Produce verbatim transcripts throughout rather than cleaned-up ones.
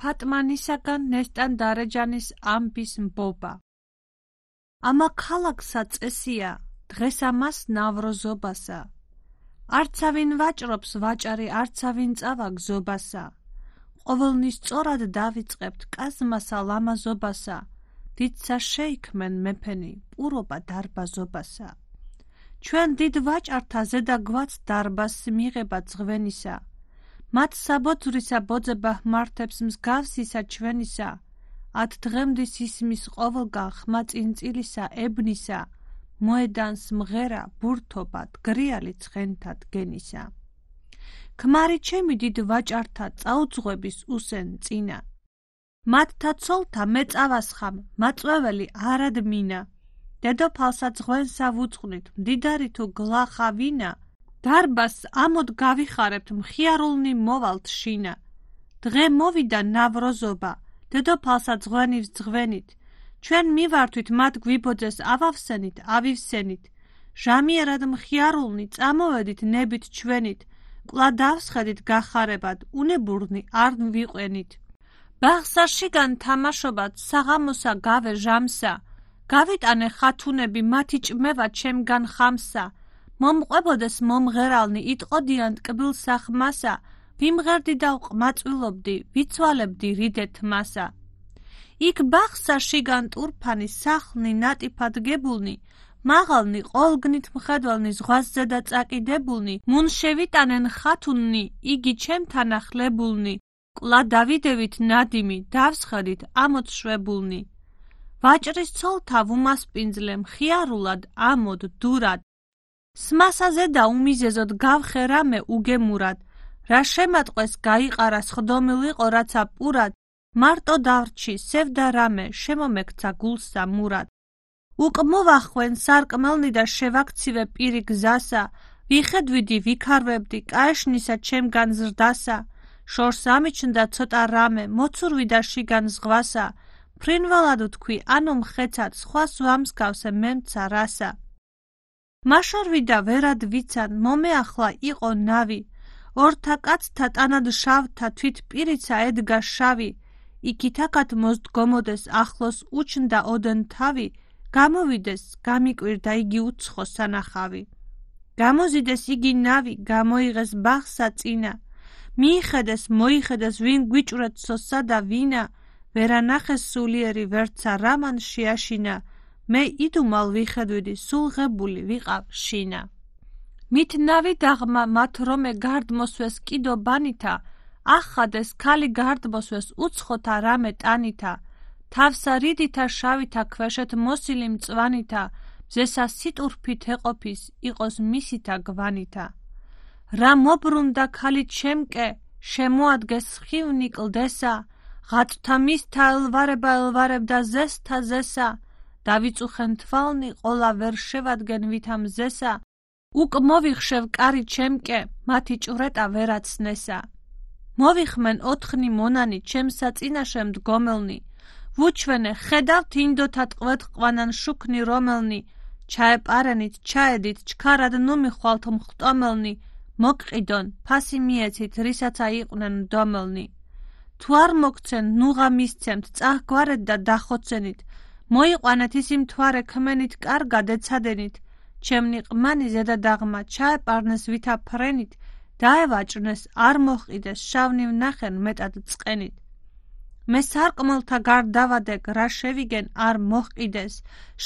ფატმანისაგან ნესტან დარეჯანის ამბის მბობა. ამა ქალაქსა წესია, დღეს ამას ნავროზობასა. არცავინ ვაჭრობს ვაჭარი, არცავინ წავა გზობასა. ყოველნი სწორად დავიწყებთ კაზმასა ლამაზობასა. დიდსა შეიქმენ მეფენი, პურობა დარბაზობასა. ჩვენ დიდ ვაჭართა ზედა გვაც დარბაზს მიღება ძღვენისა. მათ საბოძვრისა ბოძება ჰმართებს მსგავსისა ჩვენისა. ათ დღემდის ისმის ყოველგან ხმა წინწილისა ებნისა. მოედანს მღერა ბურთობა დგრიალი ცხენთა დგენისა. ქმარი ჩემი დიდ ვაჭართა წაუძღვების უსენ წინა. მათთა ცოლთა მე წავასხამ, მაწვეველი არად მინა. დედოფალსა ძღვენსა ვუძღვნით, მდიდარი თუ გლახა ვინა. დარბაზს ამოდ გავიხარებთ, მხიარულნი მოვალთ შინა. დღე მოვიდა ნავროზობა, დედოფალსა ძღვენი ვძღვენით. ჩვენ მივართვით მათ გვიბოძეს ავავსენით, ავივსენით. ჟამიერად მხიარულნი წამოვედით ნებით ჩვენით. კვლავ დავსხედით გახარებად, უნებურნი არ ვიყვენით. ბაღსა შიგან თამაშობად, საღამოსა გავე ჟამსა. გავიტანე ხათუნები, მათი ჭმევა ჩემგან ხამსა. მომყვებოდეს მომღერალნი, იტყოდიან ტკბილსა ხმასა. ვიმღერდი და ვყმაწვილობდი, ვიცვალებდი რიდეთ მასა. იქ ბაღსა შიგან ტურფანი, სახლნი ნატიფად გებულნი. მაღალნი, ყოლგნით მხედველნი, ზღვას ზედა წაკიდებულნი. მუნ შევიტანენ ხათუნნი, იგი ჩემთან ახლებულნი. კვლავ დავიდევით ნადიმი, დავსხედით ამოდ შვებულნი. ვაჭრის ცოლთა ვუმასპინძლე, მხიარულად ამოდ დურად. სმასა ზედა უმიზეზოდ გავხე რამე უგემურად. რა შემატყვეს გაიყარა, სხდომილიყო რაცა პურად. მარტო დავრჩი, სევდა რამე, შემომექცა გულსა მურად. უკ მოვახვენ სარკმელნი და შევაქცივე პირი გზასა. ვიხედვიდი, ვიქარვებდი, კაეშნისა ჩემგან ზრდასა. შორს ამიჩნდა ცოტა რამე, მოცურვიდა შიგან ზღვასა. ფრინველად ვთქვი, ანუ მხეცად, სხვას ვამსგავსე მემცა რასა. მაშორვიდა ვერად ვიცან, მომეახლა იყო ნავი. ორთა კაცთა ტანად შავთა თვით პირიცა ედგა შავი. იქით აქად მოსდგომოდეს ახლოს უჩნდა ოდენ თავი. გამოვიდეს, გამიკვირდა იგი უცხო სანახავი. გამოზიდეს იგი ნავი, გამოიღეს ბაღსა წინა. მიიხედეს, მოიხედეს, ვინ გვიჭვრეთ სოსა და ვინა. ვერანახეს სულიერი ვერცა რამან შეაშინა. მე იდუმალ ვიხედვიდი, სულ ღებული ვიყავ შინა. მით ნავი დაღმა, მათ რომე გარდმოსვეს კიდო ბანითა. ახადეს ქალი გარდმოსვეს უცხოთა რამე ტანითა. თავსა რიდითა შავითა ქვეშეთ მოსილი მწვანითა. მზესა სიტურფით ეყოფის, იყოს მისითა გვანითა. რა მობრუნდა ქალი ჩემკე, შემოადგეს ხივნი კლდესა. ღაწვთა მისთა ელვარება ელვარებდა ზესთა ზესა. დავიწუხენ თვალნი, ყოლა ვერ შევადგენ ვითამ ზესა. უკ მოვიხშევ კარი ჩემკე, მათი ჭვრეტა ვერაცნესა. მოვიხმენ ოთხნი მონანი, ჩემსა წინაშე მდგომელნი. ვუჩვენე, ხედავთ ინდოთა ტყვეთ ყვანან შუქნი რომელნი. ჩაეპარენით, ჩაედით, ჩქარად ნუ მიხვალთ მხტომელნი. მოგყიდონ, ფასი მიეცით, რისაც აიყვნენ მდომელნი. თუ არ მოგცენ, ნუღა მისცემთ, წაჰგვარეთ და დახოცენით. მოიყვანეთ ისი მთვარე ქმენით, კარგად ეცადენით. ჩემნი ყმანი ზედა დაღმა, ჩაეპარნეს ვითა ფრენით. დაევაჭრნეს, არ მოჰყიდეს, შავნი ვნახენ მეტად წყენით. მე სარკმელთა გარდ დავადეკ, რა შევიგენ არ მოჰყიდეს.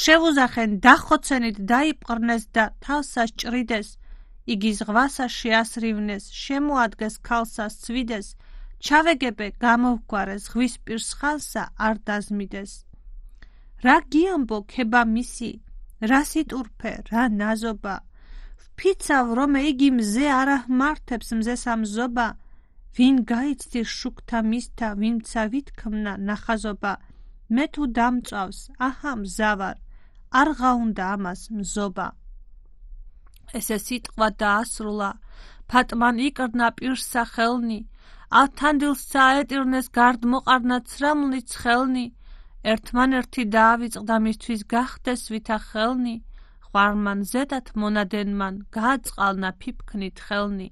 შევუზახენ, დახოცენით, დაიპყრნეს და თავსა სჭრიდეს. იგი ზღვასა შეასრივნეს, შემოადგეს ქალსა სცვიდეს. ჩავეგებე, გამოვგვარე, ზღვის პირს ხალსა არ დაზმიდეს. რა გიამბო ქება მისი, რა სიტურფე, რა ნაზობა. ვფიცავ, რომე იგი მზე არ აჰმართებს მზესა მზობა. ვინ გაიცდիր შუქთა მისთა, ვინცა ვითქმნა ნახაზობა. მე თუ დამწვავს, აჰა მზავარ, არ გაუნდა ამას მზობა. ესე სიტყვა დაასრულა, ფატმან იკრნა პირსა ხელნი. ავთანდილს წაეტირნეს გარდ მოყარნა ცრემლნი ცხელნი. ერთმანერთი დაავიწყდა მისთვის გახდეს ვითა ხელნი. ხვარმან ზედათ მონადენმან, გააწყალნა ფიფქნით ხელნი.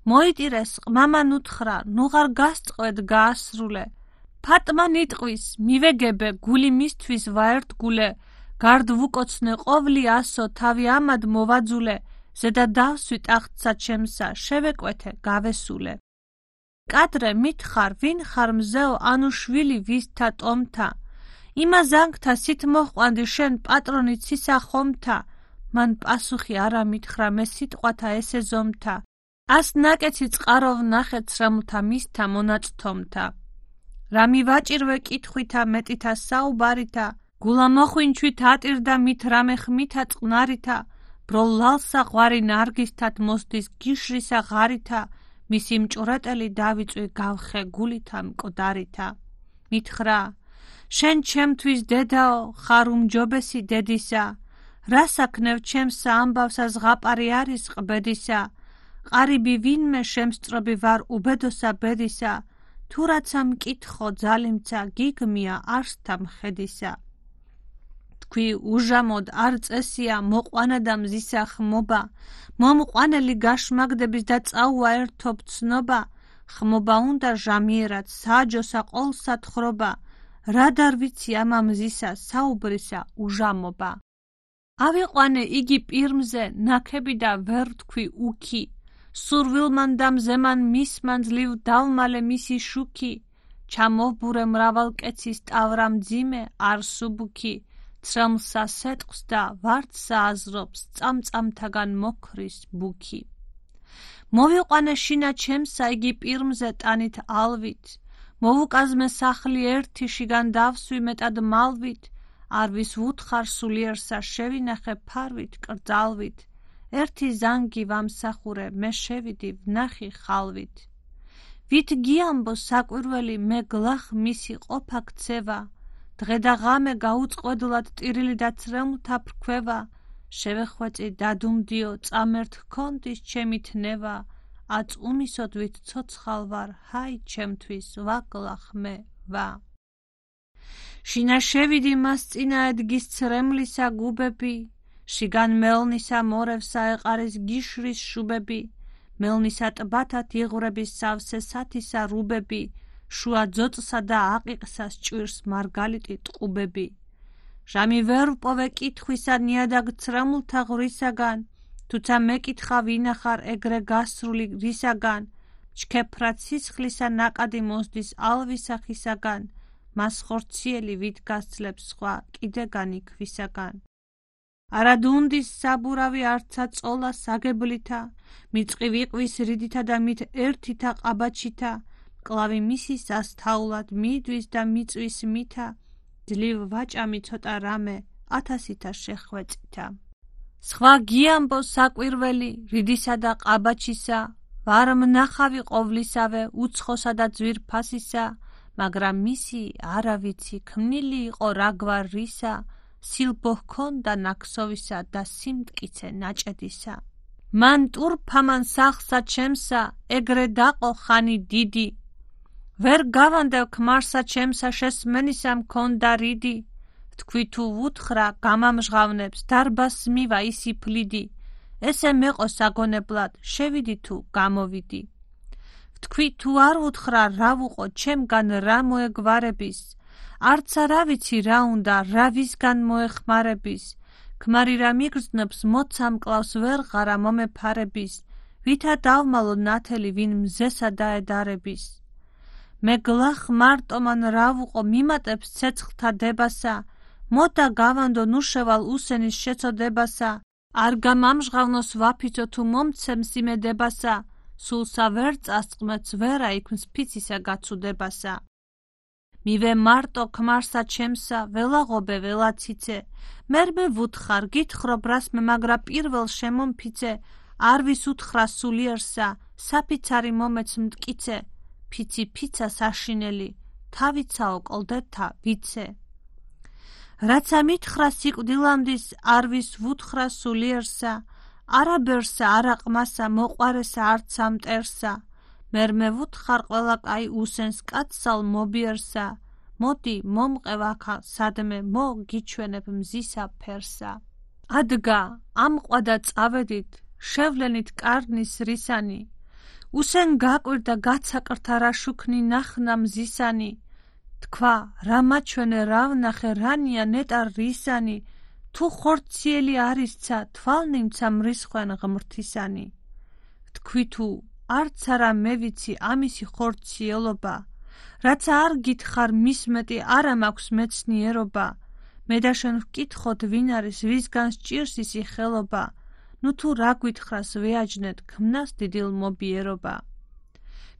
მოიტირეს ყმამან უთხრა, ნუღარ გასწყვედ გაასრულე. ფატმა ნიტყვის, მივეგებე გული მისთვის ვაერთგულე, გარდ ვუკოცნე ყოვლი ასო თავი ამად მოვაძულე, ზედა დავსვი ტახტსა ჩემსა, შევეკვეთე გავესულე. კადრე მითხარ, ვინ ხარ მზეო, ანუ შვილი ვისთა ტომთა, იმა ზანგთა სით მოჰყვანდი შენ პატრონი ცისა ხომთა, მან პასუხი არა მითხრა მე სიტყვათა ესე ზომთა, ას ნაკეცი წყაროვ ნახე ცრემლთა მისთა მონაწთომთა. რა მივაჭირვე კითხვითა მეტითა საუბარითა, გულა მოხვინჩვით ატირდა მით რამე ხმითა წყნარითა, ბრო ლალსა ღვარი ნარგისთათ მოსდის გიშრისა ღარითა, მისი მჭვრეტელი დავიწვი გავხე გულითა მკვდარითა. მითხრა, შენ ჩემთვის დედაო, ხარ უმჯობესი დედისა, რა საქმევ ჩემსა ამბავსა ზღაპარი არის ყბედისა, ყარიბი ვინმე შემსწრობი ვარ უბედოსა ბედისა, თუ რაცა მკითხო ძალიმცა გიგმია არსთა მხედისა. თქვი უჟამოდ არ წესია მოყვანა და მზისა ხმობა, მომყვანელი გაშმაგდების და წაუა ერთობ ცნობა, ხმობა უნდა ჟამიერად საჯოსა ყოლსა თხრობა, რა დარ ვიცი ამა მზისა საუბრისა უჟამობა. ავიყვანე იგი პირმზე ნაქები და ვერ თქვი უქი, სურვილმან და მზემან მისმან ძლივ დავმალე მისი შუქი, ჩამოვბურე მრავალ კეცის ტავრა მძიმე არ სუბუქი, ცრემლსა სეტყს და ვარდსა აზრობს წამწამთაგან მოქრის ბუქი. მოვიყვანე შინა ჩემსა იგი პირმზე ტანით ალვით, მოვუკაზმე სახლი ერთი შიგან დავსვი მეტად მალვით, არვის ვუთხარ სულიერსა შევინახე ფარვით კრძალვით, ერთი ზანგი ვამსახურე მე შევიდი ვნახი ხალვით. ვით გიამბო საკვირველი მე გლახ მისი ყოფა ქცევა, დღე და ღამე გაუწყვედლად ტირილი და ცრემლთა ფრქვევა, შევეხვეწი დადუმდიო წამერთ ჰქონდის ჩემი თნევა, აწუმისოდ ვით ცოცხალ ვარ ჰაი ჩემთვის ვაგლახ მე ვა. შინა შევიდი მას წინა ედგის ცრემლისა გუბები, შიგან მელნისა მორევსა ეყარის გიშრის შუბები, მელნისა ტბათათ იღვრების სავსე სათისა რუბები, შუა ძოწსა და აყიყსა სჭვირს მარგალიტი ტყუბები. ჟამი ვერ ვპოვე კითხვისა ნიადაგ ცრემლთა ღვრისაგან, თუცა მეკითხა ვინახარ ეგრე გასრული რისაგან, ჩქეფრად სისხლისა ნაკადი მოსდის ალვისა ხისაგან, მას ხორციელი ვით გასძლებს სხვა კიდეგანი ქვისაგან. არადუნდის საბურავი არცა წოლა საგებლითა, მიწყი ვიყვის რიდითა და მით ერთითა ყაბაჩითა, კლავი მისის ასთაულად მიდვის და მიწვის მითა, ძლივ ვაჭამი ცოტა რამე ათასითა შეხვეწითა. სხვა გიამბო საკვირველი რიდისა და ყაბაჩისა, ვარ მნახავი ყოვლისავე უცხოსა და ძვირფასისა, მაგრამ მისი არა ვიცი ქმნილი იყო რაგვარ რისა, სილბო ჰქონდა ნაქსოვისა და სიმტკიცე ნაჭედისა. მან ტურფამან სახლსა ჩემსა ეგრე დაყო ხანი დიდი, ვერ გავანდევ ქმარსა ჩემსა შესმენისა მქონდა რიდი, თქვი თუ ვუთხრა გამამჟღავნებს დარბას მივა ისი ფლიდი, ესე მეყო საგონებლად შევიდი თუ გამოვიდი. თქვი თუ არ ვუთხრა რა ვუყო ჩემგან რა მოეგვარების, არცა რა ვიცი რა უნდა რა ვისგან მოეხმარების, ქმარი რა მიგრძნობს მოცამ კლავს ვერ ღარა მომეფარების, ვითა დავმალო ნათელი ვინ მზესა დაედარების. მე გლახ მარტომან რა ვუყო მიმატებს ცეცხლთა დებასა, მოდა გავანდო ნუ შევალ უსენის შეწოდებასა, არ გამამჟღავნოს ვაფიცო თუ მომცემს იმედებასა, სულსა ვერ წასწყმეც ვერა იქმს ფიცისა გაცუდებასა. მივე მარტო ქმარსა ჩემსა ველაღობე ველაციცე, მერმე ვუთხარ გითხრობ რას მე მაგრა პირველ შემომფიცე, არვის უთხრა სულიერსა საფიცარი მომეც მტკიცე, ფიცი ფიცა საშინელი თავიცაო კლდეთა ვიცე. რაცა მითხრა სიკვდილამდის არვის ვუთხრა სულიერსა, არაბერსა არაყმასა მოყვარესა არცა მტერსა, მერმე ვუთხარ ყველა კაი უსენს კაცსალ მობიერსა, მოდი მომყევ აქა სადმე მოგიჩვენებ მზისა ფერსა. ადგა ამყვა და წავედით შევლენით კარნის რისანი, უსენ გაკვირდა გაცაკრთა რა შუქნი ნახნა მზისანი, თქვა, რა მაჩვენე, რა ვნახე, რანია ნეტარ რისანი, თუ ხორციელი არისცა, თვალნიმცა მრისხვენ ღმრთისანი. თქვი თუ, არც არა მე ვიცი ამისი ხორციელობა, რაცა არ გითხარ მის მეტი არა მაქვს მეცნიერობა, მე და შენ ვკითხოთ ვინ არის, ვისგან სჭირს ისი ხელობა, ნუ თუ რა გვითხრას ვეაჯნეთ ქმნას დიდილ მობიერობა.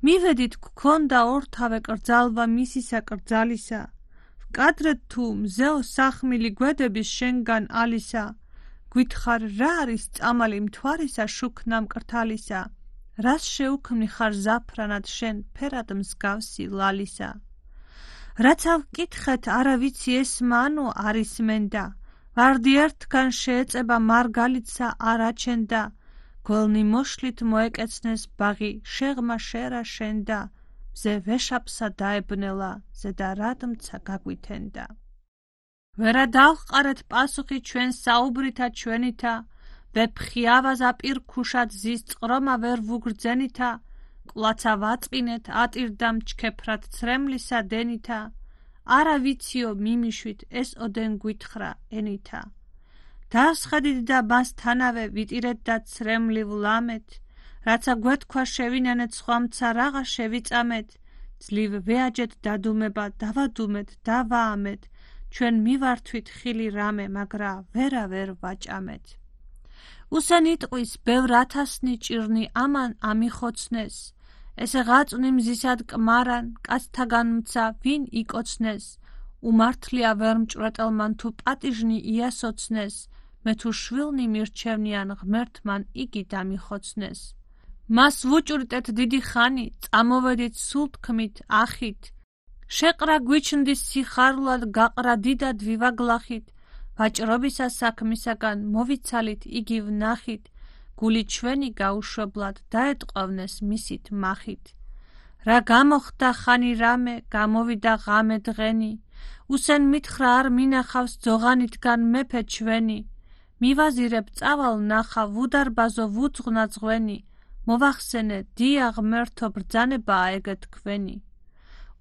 მივედით გქონდა ორთავე კრძალვა მისისა კრძალისა, ვკადრეთ თუ მზეო სახმილი გვედების შენგან ალისა, გვითხარ რა არის წამალი მთვარისა შუქნა მკრთალისა, რას შეუქმნი ხარ ზაფრანად შენ ფერად მსგავსი ლალისა. რაცა ვკითხეთ არა ვიცი ესმა ანუ არის მენდა, ვარდი ერთგან შეეწება მარგალიტსა არ აჩენდა, გველნი მოშლით მოეკეცნეს ბაღი შეღმა შერა შენდა, მზე ვეშაპსა დაებნელა ზედა რადმცა გაგვითენდა. ვერა დავყარეთ პასუხი ჩვენ საუბრითა ჩვენითა, ვეფხი ავაზა პირქუშად ზის წყრომა ვერ ვუგრძენითა, ყვლაცა ვაწყინეთ ატირდა მჩქეფრად ცრემლისა დენითა, არა ვიციო მიმიშვით ეს ოდენ გვითხრა ენითა. დავსხედით და მასთანავე ვიტირეთ და ცრემლივ ლამეთ, რაცა გვეთქვა შევინანეთ სხვამცა რაღა შევიწამეთ, ძლივ ვეაჯეთ დადუმება დავადუმეთ დავაამეთ, ჩვენ მივართვით ხილი რამე, მაგრა ვერა ვერ ვაჭამეთ. უსენ იტყვის ბევრ ათასნი ჭირნი ამან ამიხოცნეს, ესე ღაწვნი მზისად კმარან, კაცთაგან მცა ვინ იკოცნეს, უმართლია ვერ მჭვრეტელმან თუ პატიჟნი იასოცნეს, მე თუ შვილნი მირჩევნიან ღმერთმან იგი დამიხოცნეს. მას ვუჭვრიტეთ დიდი ხანი, წამოვედით სულ თქმით ახით, შეყრა გვიჩნდის სიხარულად გაყრა დიდად ვივაგლახით, ვაჭრობისა საქმისაგან მოვიცალით იგი ვნახით, გული ჩვენი გაუშვებლად დაეტყვავნეს მისით მახით. რა გამოხდა ხანი რამე, გამოვიდა ღამე დღენი, უსენ მითხრა არ მინახავს ძოღანითგან მეფე ჩვენი, მივაზირებ წავალ ნახა ვუდარბაზო ვუძღნა ძღვენი, მოვახსენე დია ღმერთო ბრძანებაა ეგ თქვენი.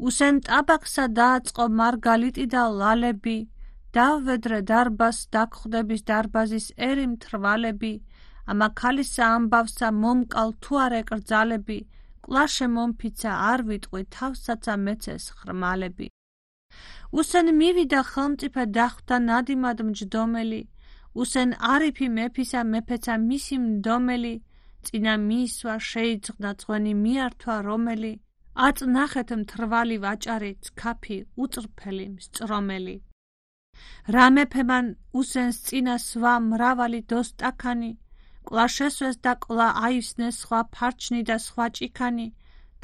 უსენ ტაბაქსა დააწყო მარგალიტი და ლალები, დავვედრე დარბაზს დაგხვდების დარბაზის ერი მთრვალები, ამა ქალისა ამბავსა მომკალ თუ არ ეკრძალები, კლაშე მომფიცა არ ვიტყვი თავსაცა მეცეს ხრმალები. უსენ მივიდა ხელმწიფე დახვდა ნადიმად მჯდომელი, უსენ არიფი მეფისა მეფეცა მისი მდომელი, წინა მიისვა შეიძღნა ძღვენი მიართვა რომელი, აწნახეთ მთრვალი ვაჭარი ცქაფი უწრფელი მსწრომელი. რა მეფემან უსენს წინა სვა მრავალი დოსტაქანი, ყლა შესვეს და ყლა აივსნეს სხვა ფარჩნი და სხვა ჭიქანი,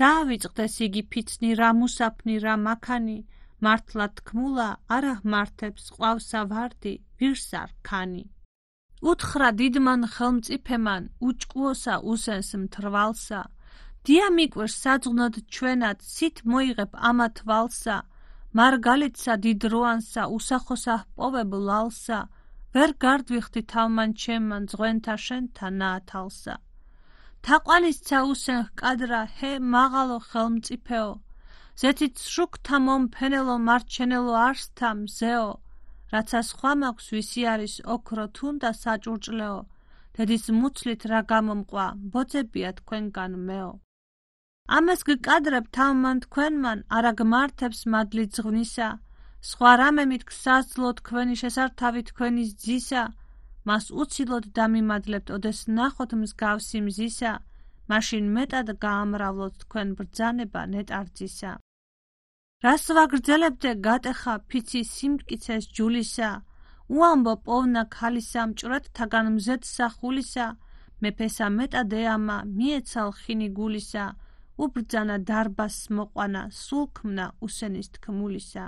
დაავიწყდეს იგი ფიცნი რა მუსაფნი რა მაქანი, მართლა თქმულა არა მართებს ყავსა ვარდი ვირსა რქანი. უთხრა დიდმან ხელმწიფემან უჭკუოსა უსენს მთრვალსა, დია მიკვერს საძღვნოდ ჩვენად სით მოიღებ ამა თვალსა, მარგალიტსა დიდროანსა უსახოსა ჰპოვებ ლალსა, ვერ გარდვიხდი თავმან ჩემმან ძღვენთა შენთა ნაათალსა. თაყვანისცა უსენ ჰკადრა ჰე მაღალო ხელმწიფეო, ზეთით შუქთა მომფენელო მარჩენელო არსთა მზეო, რაცა სხვა მაქვს ვისი არის ოქრო თუნდა საჭურჭლეო, დედის მუცლით რა გამომყვა ბოძებია თქვენგან მეო. ამას გკადრებ თავმან თქვენმან არა გმართებს მადლი ძღვნისა, სხვა რამემით გსაძლო თქვენი შესართავი თქვენის ძისა, მას უცილოდ დამიმადლებთ ოდეს ნახოთ მსგავსი მზისა, მაშინ მეტად გაამრავლოთ თქვენ ბრძანება ნეტარძისა. რას ვაგრძელებდე გატეხა ფიცი სიმტკიცეს ჯულისა, უამბო პოვნა ქალისა მჭვრეთთაგან მზეთსა ხულისა, მეფესა მეტად ეამა მიეცალ ხინი გულისა, უბრძანა დარბაზს მოყვანა სულ ქმნა უსენის თქმულისა.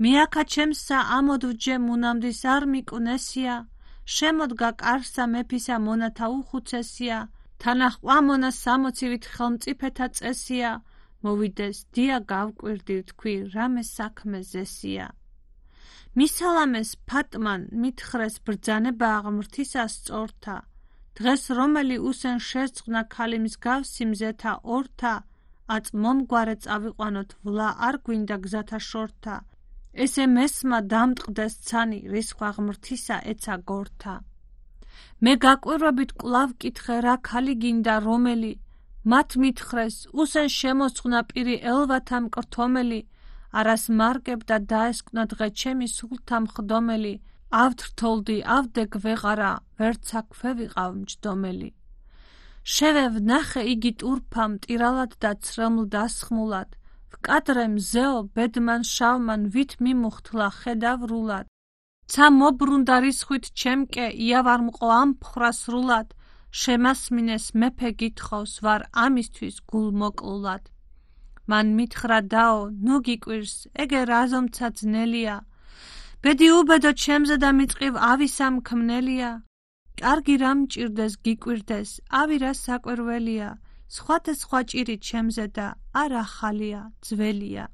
მიაქა ჩემსა ამოდვჯე მუნამდის არ მიკვნესია, შემოდგა კარსა მეფისა მონათა უხუცესია, თანაჰყვა მონა სამოცივით ხელმწიფეთა წესია, მოვიდეს დია გავკვირდი თქვი რამე საქმე ზესია. მისალამეს ფატმან მითხრეს ბრძანება ღმრთისა სწორთა, დღეს რომელი უსენ შეზღნა ქალი მსგავსი მზეთა ორთა, აწ მომგვარე წავიყვანოთ ვლა არ გვინდა გზათა შორთა ესე მესმა დამტყდეს ცანი რისხვა ღმრთისა ეცა გორთა მე გაკვირვებით კვლავ კითხე რა ქალი გინდა რომელი მათ მითხრეს უსენ შემოწყნა პირი ელვათა მკრთომელი არას მარკებდა დაესკვნა დღე ჩემი სულთა მხდომელი ავთრთოლდი ავდე გვეღარა ვერცა ქვევიყავ მჯდომელი შევე ვნახე იგი ტურფა მტირალად და ცრემლ დასხმულად ვკადრე მზეო ბედმან შავმან ვით მიმუხთლა ხედავრულად ცა მობრუნდა რისხვით ჩემკე იავარმყო ამ ფხრა სრულად შემასმინეს მეფე გითხოვს ვარ ამისთვის გულ მოკლულად მან მითხრა დაო ნუ გიკვირს ეგე რაზომცა ძნელია ბედი უბედო ჩემზე და მიწყივ ავისამ ქმნელია კარგი რა მჭირდეს გიკვირდეს ავი რა საკვირველია სხვათა სხვა ჭირი ჩემზე და არ ახალია ძველია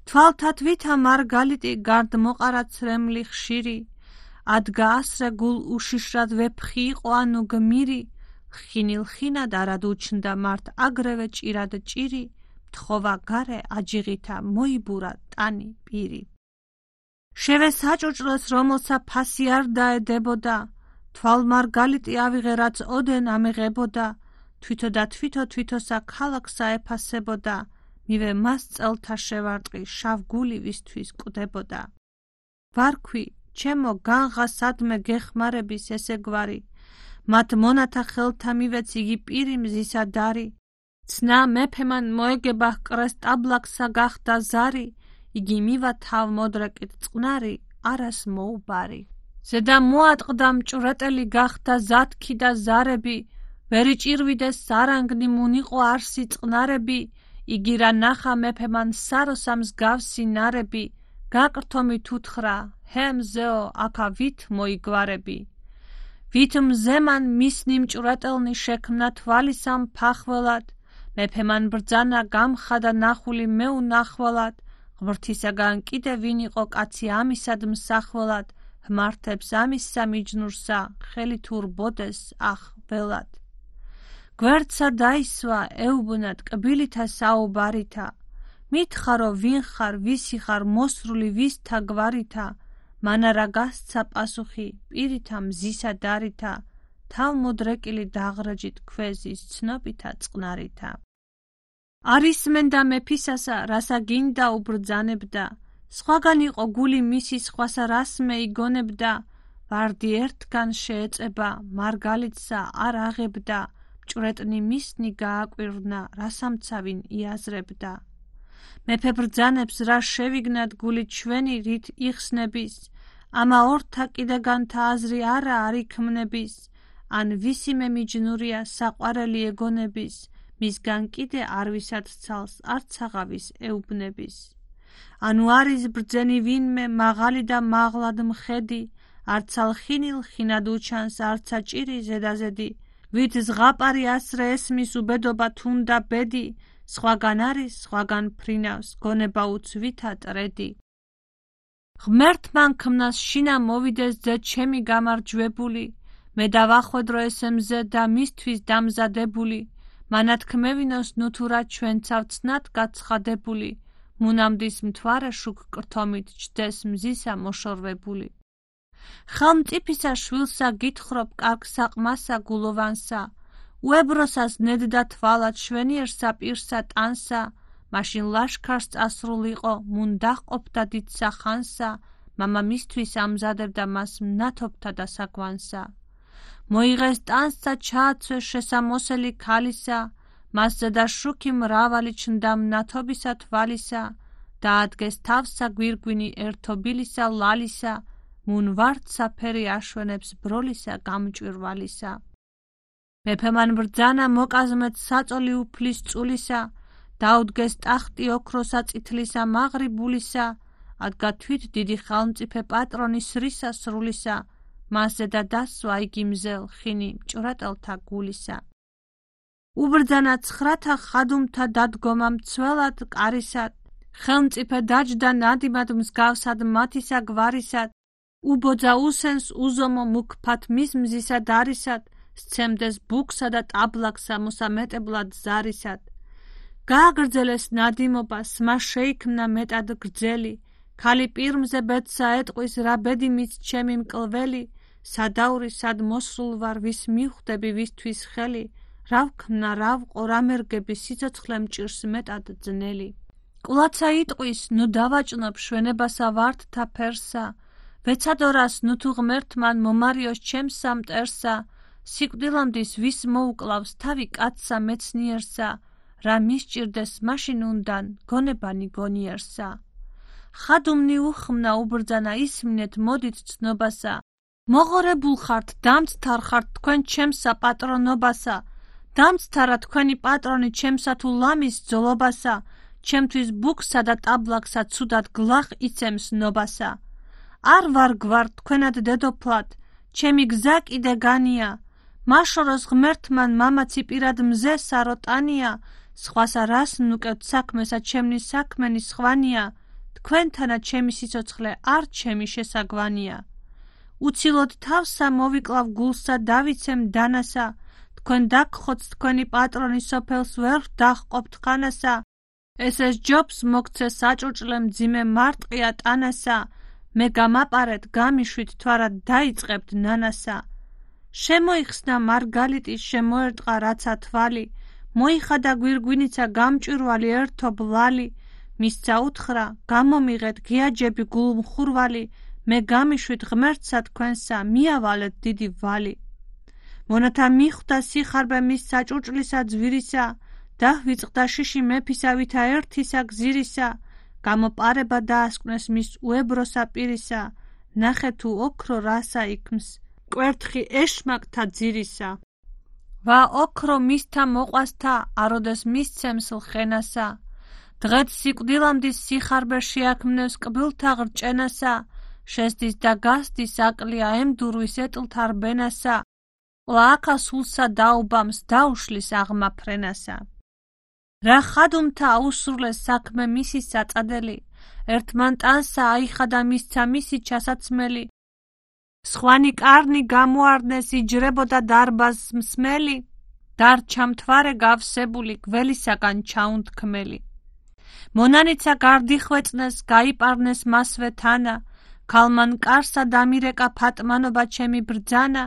თვალთათ ვითა მარგალიტი გარდ მოყარა ცრემლი ხშირი ადგა ასრე გულ უშიშრად ვეფხი იყო ანუ გმირი ხინილ ხინად არად უჩნდა მართ აგრევე ჭირად ჭირი მთხოვა გარე აჯიღითა მოიბურა ტანი პირი შევე საჭუჭროს რომელსა ფასი არ დაედებოდა თვალ მარგალიტი ავიღე რაც ოდენ ამეღებოდა თვითო და თვითო თვითოსა ქალაქსა ეფასებოდა მივე მას წელთა შევარტყი შავ გული ვისთვის კვდებოდა ვარქვი ჩემო განღა სადმე გეხმარების ესე გვარი მათ მონათა ხელთა მივეც იგი პირი მზისა დარი ცნა მეფემან მოეგება ჰკრეს ტაბლაკსა გახდა ზარი იგი მივა თავ მოდრეკით წყნარი არას მოუბარი ზედა მოატყდა მჭვრეტელი გახდა ზათქი და ზარები ვერი ჭირვიდეს სარანგნი მუნიყო არსი წყნარები იგი რა ნახა მეფემან საროსა მსგავსი ნარები გაკრთომი თუთხრა ჰე მზეო აქა ვით მოიგვარები ვით მზემან მისნი მჭვრეტელნი შექმნა თვალისამ ფახველად მეფემან ბრძანა გამხადა ნახული მეუნახველად ღმრთისაგან კიდე ვინ იყო კაცი ამისად მსახველად ჰმართებს ამისა მიჯნურსა ხელი თურბოდეს ახ ველად გვერდსა დაისვა ეუბნად კბილითა საუბარითა მითხარო ვინ ხარ ვისი ხარ მოსრული ვისთა გვარითა მანარა გასცა პასუხი პირითა მზისა დარითა თავ მოდრეკილი დაღრჯით ქვეზის ცნობითა წყნარითა არისმენდა მეფისასა რასა გინდა უბრძანებდა სხვაგან იყო გული მისი სხვასა რასმე იგონებდა ვარდი ერთგან შეეწება მარგალიტსა არ აღებდა მჭვრეტნი მისნი გააკვირვნა რასამცავინ იაზრებდა მეფე ბრძანებს რა შევიგნათ გული ჩვენი რით იხსნების ამა ორთა კიდეგანთა აზრი არა არ იქმნების ან ვისიმე მიჯნურია საყვარელი ეგონების მისგან კიდე არ ვისად ცალს არც აღავის ეუბნების ანუ არის ბრძენი ვინმე მაღალი და მაღლად მხედი არცა ლხინილ ხინად უჩანს არცა ჭირი ზედაზედი ვით ზღაპარი ასრე ესმის უბედობა თუნდა ბედი სხვაგან არის სხვაგან ფრინავს გონება უცვითა ტრედი ღმერთმან ქმნას შინა მოვიდეს ძე ჩემი გამარჯვებული მე დავახვედრო ესემზე და მისთვის დამზადებული მანათქმევინოს ნუთურა ჩვენცავ ცნად გაცხადებული მუნამდის მთვარე შუქ კრთომით ჯდეს მზისა მოშორვებული ხელმწიფისა შვილსა გითხრობ კარგ საყმასა გულოვანსა უებროსას ნედდა თვალად შვენიერსა პირსა ტანსა მაშინ ლაშქარს წასრულიყო მუნ დაჰყოფდა დიდსა ხანსა მამა მისთვის ამზადებდა მას მნათობთა და საგვანსა მოიღეს ტანსა ჩააცვეს შესამოსელი ქალისა მასზე და შუქი მრავალი ჩნდა მნათობისა თვალისა დაადგეს თავსა გვირგვინი ერთობილისა ლალისა მუნ ვარდსა ფერი აშვენებს ბროლისა გამჭვირვალისა მეფემან ბრძანა მოკაზმეთ საწოლი უფლის წულისა დაუდგეს ტახტი ოქროსა წითლისა მაღრიბულისა ადგა თვით დიდი ხელმწიფე პატრონი სრისა სრულისა მასზე და დასვა იგი მზელ ხინი მჭვრეტელთა გულისა უბრძანა ცხრათა ხადუმთა დადგომა მცველად კარისად ხელმწიფე დაჯდა ნადიმად მსგავსად მათისა გვარისად უბოძა უსენს უზომო მუქფათ მის მზისა დარისად სცემდეს ბუქსა და ტაბლაკსა მოსამეტებლად ზარისად გააგრძელეს ნადიმობა, სმა შეიქმნა მეტად გრძელი, ქალი პირმზე ბედსა ეტყვის, რა ბედი მის ჩემი მკლველი, სადაური სად მოსრულ ვარ, ვის მივხვდები, ვისთვის ხელი, რა ვქმნა, რა ვყო, რა მერგები, სიცოცხლე მჭირს მეტად ძნელი. კვლაცა იტყვის, ნუ დავაჭნობ შვენებასა ვარდთა ფერსა, ვეცადორას ნუ თუ ღმერთმან მომარიოს ჩემსა მტერსა, სიკვდილამდის ვის მოუკლავს თავი კაცსა მეცნიერსა, რა მისჭირდეს მაშინ უნდან გონებანი გონიერსა. ხადუმნი უხმნა უბრძანა ისმინეთ მოდით ცნობასა, მოღორებულ ხართ, დამცთარ ხართ თქვენ ჩემსა პატრონობასა, დამცთარა თქვენი პატრონი ჩემსა თუ ლამის ძოლობასა, ჩემთვის ბუქსა და ტაბლაკსა ცუდად გლახ იცემს ნობასა. არ ვარ გვარ თქვენად დედოფლად, ჩემი გზა კიდე განია, მაშოროს ღმერთმან მამაცი პირად მზე საროტანია, სხვასა რას ნუკევთ საქმესა ჩემნი საქმენი სხვანია, თქვენთანა ჩემი სიცოცხლე არ ჩემი შესაგვანია. უცილოდ თავსა მოვიკლავ გულსა დავიცემ დანასა, თქვენ დაგხოთ თქვენი პატრონი სოფელს ვერ დაღყოფთ ხანასა, ესეს ჯობს მოგცე საჭურჭლე მძიმე მარტყია ტანასა, მე გამაპარეთ გამიშვით თვარად დაიწყებთ ნანასა. შემოიხსნა მარგალიტის შემოერტყა რაცა თვალი, მოიხადა გვირგვინიცა გამჭვირვალი ერთო ბლალი, მისცა უთხრა გამომიღეთ გიაჯები გულმხურვალი, მე გამიშვით ღმერთსა თქვენსა მიავალეთ დიდი ვალი. მონათა მიხვდა სიხარბე მის საჭურჭლისა ძვირისა, დაჰვიწყდა შიში მეფისა ვითა ერთისა გზირისა, გამოპარება დაასკვნეს მის უებროსა პირისა, ნახე თუ ოქრო რასა იქმს, კვერთხი ეშმაკთა ძირისა. ვა ოქრო მისთა მოყვასთა, აროდეს მისცემს ლხენასა, დღეთ სიკვდილამდის სიხარბე შეაქმნევს კბილთა ღრჭენასა, შესდის და გასდის აკლია ემდურვის ეტლთა რბენასა, ყლააქა სულსა დაუბამს დაუშლის აღმა ფრენასა. რა ხადუმთა აუსრულეს საქმე მისი საწადელი, ერთმან ტანსა აიხადა მისცა მისი ჩასაცმელი, სხვანი კარნი გამოარდნეს იჯრებოდა დარბაზს მსმელი, დარჩა მთვარე გავსებული გველისაგან ჩაუნთქმელი. მონანიცა გარდიხვეწნეს გაიპარნეს მასვე თანა, ქალმან კარსა დამირეკა ფატმანობა ჩემი ბრძანა,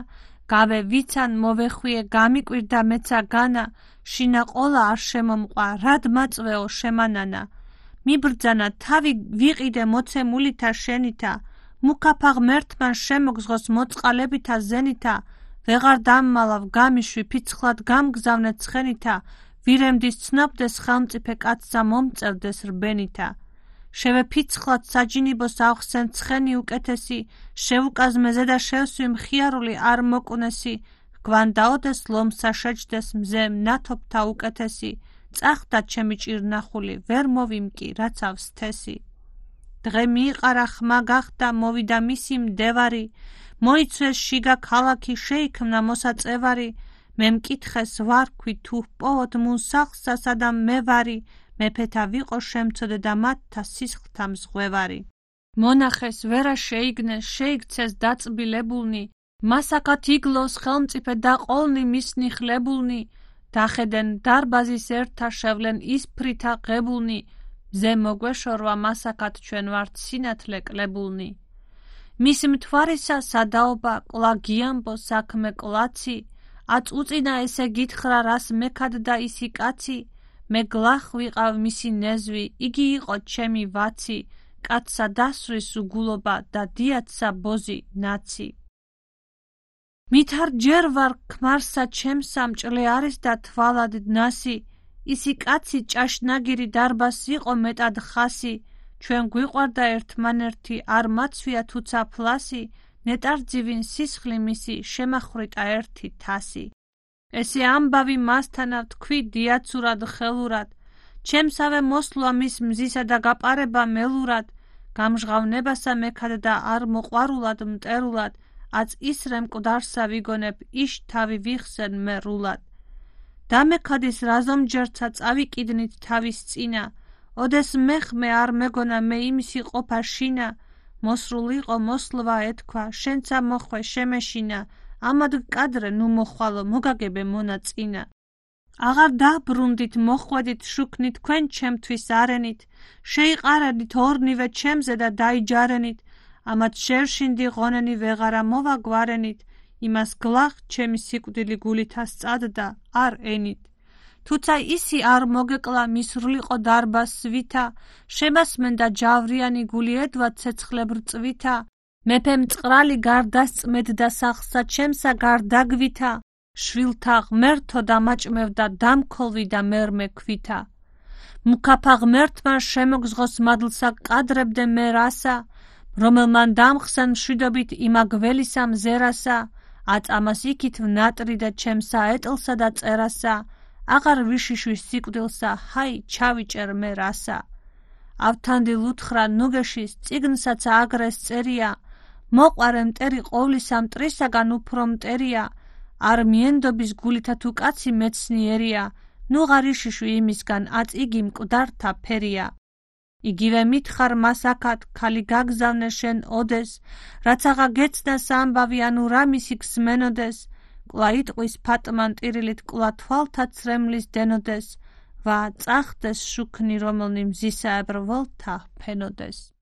გავე ვიცან მოვეხვიე გამიკვირდა მეცა განა, შინა ყოლა არ შემომყვა, რად მაწვეო შემანანა. მიბრძანა თავი ვიყიდე მოცემულითა შენითა, მუქაფა ღმერთმან შემოგზღოს მოწყალებითა ზენითა, ვეღარ დამმალავ გამიშვი ფიცხლად გამგზავნე ცხენითა, ვირემდის ცნობდეს ხელმწიფე კაცსა მომწერდეს რბენითა. შევეფიცხლად საჯინიბოს ავხსენ ცხენი უკეთესი, შევუკაზმე ზედა შევსვი მხიარული არ მოკუნესი, გვანდაოდეს ლომსა შეჯდეს მზე ნათობთა უკეთესი, წახდა ჩემი ჭირნახული, ვერ მოვიმკი რაც ავსთესი. დღე მიიყარა ხმა გახდა, მოვიდა მისი მდევარი, მოიცვეს შიგა ქალაქი, შეიქმნა მოსაწევარი, მე მკითხეს ვარქვი თუ პოვოთ მუნ სახლსა სადამ მე ვარი, მეფეთა ვიყო შემცოდე და მათთა სისხლთა მზღვევარი. მონახეს ვერა შეიგნეს, შეიქცეს დაწბილებულნი, მასაკად იგლოს ხელმწიფე და ყოლნი მისნი ხლებულნი, დახედენ დარბაზის ერთა შევლენ ისფრითა ღებულნი, მზე მოგვეშორვა მასაკად ჩვენ ვართ სინათლე კლებულნი. მის მთვარისა სადაობა ყლა გიამბო საქმე ყლაცი, აწ უწინა ესე გითხრა რას მექადდა ისი კაცი, მე გლახ ვიყავ მისი ნეзвი, იგი იყო ჩემი ვაცი, კაცსა დასვრის უგულობა და დიაცსა ბოზი ნაცი. მითარ ჯერ ვარ ქმარსა ჩემსა მჭლე არის და თვალად ნასი, ისი კაცი ჭაშნაგირი დარბას იყო მეტად ხასი, ჩვენ გვიყვარდა ერთმანერთი არ მაცვია თუცა ფლასი, ნეტარძივინ სისხლი მისი შემახრიტა ერთი თასი. ესე ამბავი მასთანა თქვი დიაცურად ხელურად, ჩემსავე მოსვლა მის მზისა და გაპარება მელურად, გამჟღავნებასა მექადდა არ მოყვარულად მტერულად, აწ ისრე მკვდარსა ვიგონებ იშ თავი ვიხსენ მე რულად. დამექადის რაზომჯერცა წავიკიდნით თავის წინა, ოდეს მეხმე არ მეგონა მე იმისი ყოფა შინა, მოსრულ იყო მოსლვა ეთქვა, შენცა მოხვე შემეშინა, ამად გკადრე ნუ მოხვალო მოგაგებე მონაწინა. აღარ დაბრუნდით მოხვედით შუქნით თქვენ ჩემთვის არენით, შეიყარებით ორნივე ჩემზე და დაიჯარენით, ამათ შევშინდი ღონენი ვეღარა მოვაგვარენით, იმას გლახ ჩემი სიკვდილი გულით ასწადდა არ ენით. თუცა ისი არ მოგეკლა მისრლიყო დარბას ვითა, შემასმენდა ჯავრიანი გული ედვა ცეცხლებრ წვითა, მეფემ წყრალი გარდასწმედდა სახსა ჩემსა გარდაგვითა, შვილთა ღმერთო დამაჭმევდა დამქოლვიდა მერმე ქვითა. მუქაფა ღმერთმა შემოგზღოს მადლსა კადრებდე მე რასა, რომელმან დამხსენ მშვიდობით იმა გველისა მზერასა, აწამას იქით ვნატრი და ჩემსა ეტლსა და წერასა, აღარ ვიშიშვის სიკვდილსა, ჰაი ჩავიჭერ მე რასა. ავთანდილ უთხრა ნუგეშის წიგნსაც აგრეს წერია, მოყვარე მტერი ყოვლისა მტრისაგან უფრო მტერია, არ მიენდობის გულითა თუ კაცი მეცნიერია, ნუ ღარ იშიშვი იმისგან აწ იგი მკვდართა ფერია. იგივე მითხარ მას აქად, ქალი გაგზავნე შენ ოდეს, რაც აღა გეცნას ამბავი ანუ რა მისი გსმენოდეს, კლა იტყვის ფატმან ტირილით, კლა თვალთა ცრემლის დენოდეს, ვა წახდეს შუქნი რომელნი მზისაებრ ველთა ფენოდეს.